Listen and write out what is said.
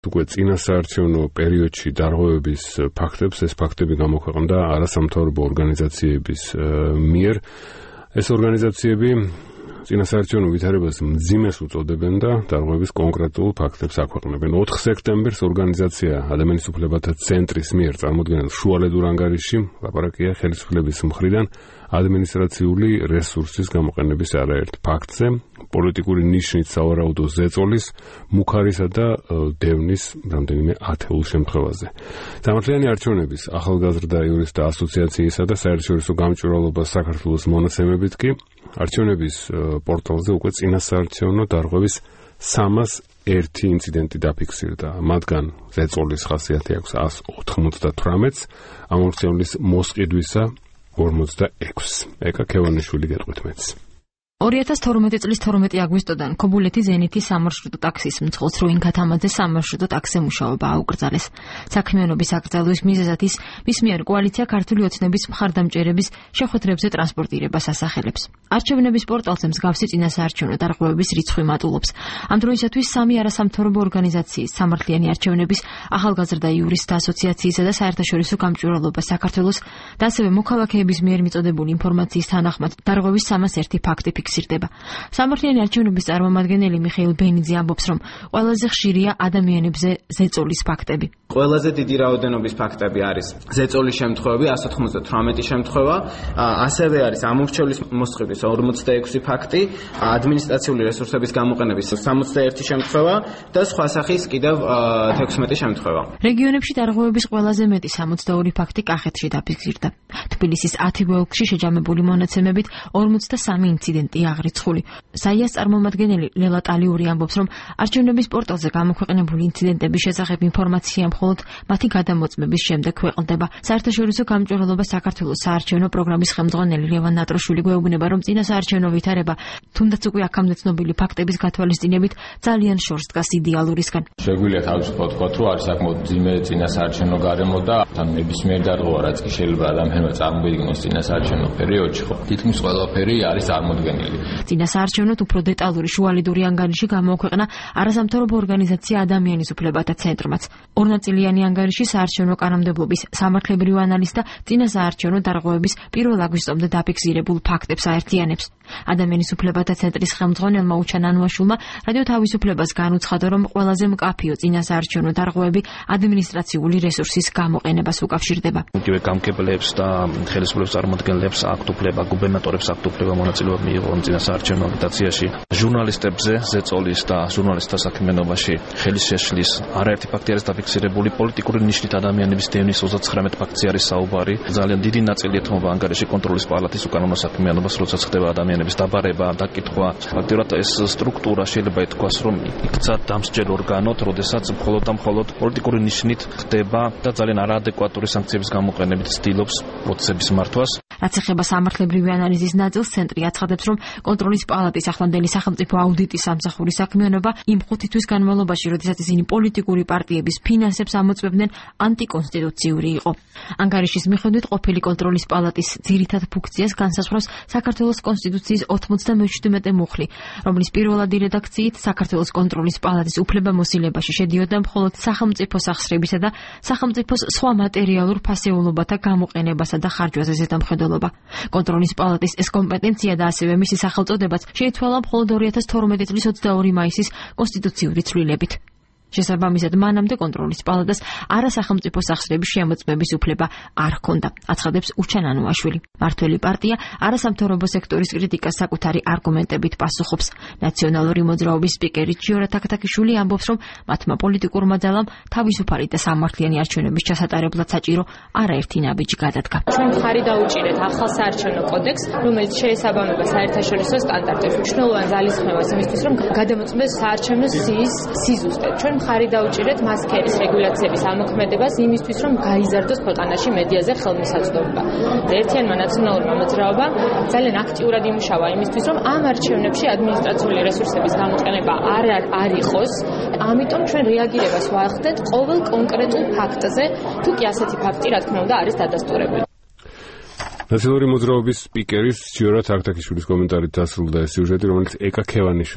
უკვე წინა საარჩევნო პერიოდში დარღვევების ფაქტებს, ეს ფაქტები გამოქვეყნდა არასამთავრობო ორგანიზაციების მიერ. ეს ორგანიზაციები წინასაარჩევნო ვითარებას მძიმეს უწოდებენ და დარღვევის კონკრეტულ ფაქტებს აქვეყნებენ. 4 სექტემბერს ორგანიზაცია ადამიანის უფლებათა ცენტრის მიერ წარმოდგენილ შუალედურ ანგარიშში ლაპარაკია ხელისუფლების მხრიდან ადმინისტრაციული რესურსის გამოყენების არაერთ ფაქტზე, პოლიტიკური ნიშნით სავარაუდო ზეწოლის, მუქარისა და დევნის რამდენიმე ათეულ შემთხვევაზე. სამართლიანი არჩევნების ახალგაზრდა იურისტთა ასოციაციისა და საერთაშორისო გამჭვირვალობას საქართველოს მონაცემებით კი არჩევნების პორტალზე უკვე წინასაარჩევნო დარღვევის 301 ინციდენტი დაფიქსირდა. მათგან ზეწოლის ხასიათი აქვს 198-ს, ამორჩევლის მოსყიდვისა 46. ეკა ქევანიშვილი გეტყვით მეც. 2012 წლის 12 აგვისტოდან ქობულეთის ზენითის სამარშრუტო ტაქსის მძღოლს რუინქა თამაძე სამარშრუტო ტაქსზე მუშაობა აუკრძალეს. საქმიანობის აკრძალვის მიზეზად ის მის მიერ კოალიცია ქართული ოცნების მხარდამჭერების შეხვედრებზე ტრანსპორტირებას ასახელებს. არჩევნების პორტალზე მსგავსი წინასაარჩევნო დარღვევების რიცხვი მატულობს. ამ დროისათვის 3 არასამთავრობო ორგანიზაციის სამართლიანი არჩევნების ახალგაზრდა იურისტთა ასოციაციისა და საერთაშორისო გამჭვირვალობა საქართველოს და ასევე მოქალაქეების მიერ მიწოდებული ინფორმაციის თანახმად დარღვევის 301 ფაქტი ფიქსირდება. სამართლიანი არჩევნების წარმომადგენელი მიხეილ ბენიძე ამბობს, რომ ყველაზე ხშირია ადამიანებზე ზეწოლის ფაქტები. ყველაზე დიდი რაოდენობის ფაქტები არის ზეწოლის შემთხვევები 198 შემთხვევა, ასევე არის ამორჩევლის მოსყიდვის 46 ფაქტი, ადმინისტრაციული რესურსების გამოყენების 61 შემთხვევა და სხვა სახის კიდევ 16 შემთხვევა. რეგიონებში დარღვევების ყველაზე მეტი 62 ფაქტი კახეთში დაფიქსირდა. თბილისის 10 ოლქში შეჯამებული მონაცემებით 43 ინციდენტი აღრიცხული. საიას წარმომადგენელი ლელა ტალიური ამბობს, რომ არჩევნების პორტალზე გამოქვეყნებული ინციდენტების შესახებ ინფორმაცია მხოლოდ მათი გადამოწმების შემდეგ ქვეყნდება. საერთაშორისო გამჭვირვალობა საქართველოს საარჩევნო პროგრამის ხელმძღვანელი ლევან ნატროშვილი გვეუბნება, რომ წინასაარჩევნო ვითარება, თუნდაც უკვე აქამდე ცნობილი ფაქტების გათვალისწინებით, ძალიან შორს დგას იდეალურისგან. შეგვიძლია თავისუფლად ვთქვათ, რომ არის საკმაოდ მძიმე წინასაარჩევნო გარემო და თან ნებისმიერ დარღვევა, რაც კი შეიძლება ადამიანმა წარმოიდგინოს წინასაარჩევნო პერიოდში, ხო, თითქმის ყველაფერი არის წარმოდგენილი. წინასაარჩევნოდ უფრო დეტალური შუალედური ანგარიში გამოაქვეყნა არასამთავრობო ორგანიზაცია ადამიანის უფლებათა ცენტრმაც. ორნაწილიანი ანგარიში საარჩევნო კანონმდებლობის სამართლებრივ ანალიზს და წინასაარჩევნო დარღვევების 1 აგვისტომდე დაფიქსირებულ ფაქტებს აერთიანებს. ადამიანის უფლებათა ცენტრის ხელმძღვანელმა უჩან ანუაშვილმა რადიო თავისუფლებას განუცხადა, რომ ყველაზე მკაფიო წინასაარჩევნო დარღვევები ადმინისტრაციული რესურსის გამოყენებას უკავშირდება. იგივე გამგებლებს და ხელისუფლების წარმომადგენლებს აქვთ უფლება, გუბერნატორებს აქვთ უფლება მონაწილეობა მიიღონ წინასაარჩევნო აგიტაციაში. ჟურნალისტებზე ზეწოლის და ჟურნალისტთა საქმიანობაში ხელის შეშლის არაერთი ფაქტი არის დაფიქსირებული. პოლიტიკური ნიშნით ადამიანების დევნის 39 ფაქტი არის საუბარი. ძალიან დიდი ნაწილი ეთმობა ანგარიში კონტროლის პალატის უკანონო საქმიანობას, როდესაც ხდება ადამიანების დაბარება, დაკითხვა. ფაქტიურად ეს სტრუქტურა შეიძლება ითქვას, რომ იქცა დამსჯელ ორგანოდ, როდესაც მხოლოდ და მხოლოდ პოლიტიკური ნიშნით ხდება და ძალიან არაადეკვატური სანქციების გამოყენებით ცდილობს პროცესების მართვას. რაც ეხება სამართლებრივი ანალიზის ნაწილს, ცენტრი აცხადებს, რომ კონტროლის პალატის ახლანდელი სახელმწიფო აუდიტის სამსახურის საქმიანობა იმ 5 თვის განმავლობაში, როდესაც ისინი პოლიტიკური პარტიების ფინანსებს ამოწმებდნენ, ანტიკონსტიტუციური იყო. ანგარიშის მიხედვით ყოფილი კონტროლის პალატის ძირითად ფუნქციას განსაზღვრავს საქართველოს კონსტიტუციის 97 მუხლი, რომლის პირველადი რედაქციით საქართველოს კონტროლის პალატის უფლებამოსილებაში შედიოდა მხოლოდ სახელმწიფო სახსრებისა და სახელმწიფოს სხვა მატერიალურ ფასეულობათა გამოყენებასა და ხარჯვაზე ზედამხედველობა. კონტროლის პალატის ეს კომპეტენცია და ასევე მისი სახელწოდებაც შეიცვალა მხოლოდ 2012 წლის 22 მაისის კონსტიტუციური ცვლილებით. შესაბამისად, მანამდე კონტროლის პალატას არასახელმწიფო სახსრების შემოწმების უფლება არ ჰქონდა, აცხადებს უჩან ანუაშვილი. მართველი პარტია არასამთავრობო სექტორის კრიტიკას საკუთარი არგუმენტებით პასუხობს. ნაციონალური მოძრაობის სპიკერი ჯიორა თაქთაქიშვილი ამბობს, რომ მათმა პოლიტიკურმა ძალამ თავისუფალი და სამართლიანი არჩევნების ჩასატარებლად საჭირო არაერთი ნაბიჯი გადადგა. ჩვენ მხარი დაუჭირეთ ახალ საარჩევნო კოდექსს, რომელიც შეესაბამება საერთაშორისო სტანდარტებს. მნიშვნელოვან ძალისხმევას იმისთვის, რომ გადამოწმდეს საარჩევნო სიის სიზუსტე. ჩვენ მხარი დაუჭირეთ მასქერის რეგულაციების ამოქმედებას იმისთვის, რომ გაიზარდოს ქვეყანაში მედიაზე ხელმისაწვდომობა. ერთიანმა ნაციონალურმა მოძრაობამ ძალიან აქტიურად იმუშავა იმისთვის, რომ ამ არჩევნებში ადმინისტრაციული რესურსების გამოყენება არ იყოს. ამიტომ ჩვენ რეაგირებას ვახდეთ ყოველ კონკრეტულ ფაქტზე, თუ კი ასეთი ფაქტი, რა თქმა უნდა, არის დადასტურებული. ნაციონალური მოძრაობის სპიკერის ჯიორა თაქთაქიშვილის კომენტარით დასრულდა ეს სიუჟეტი, რომელიც ეკა ქევანიშვილმა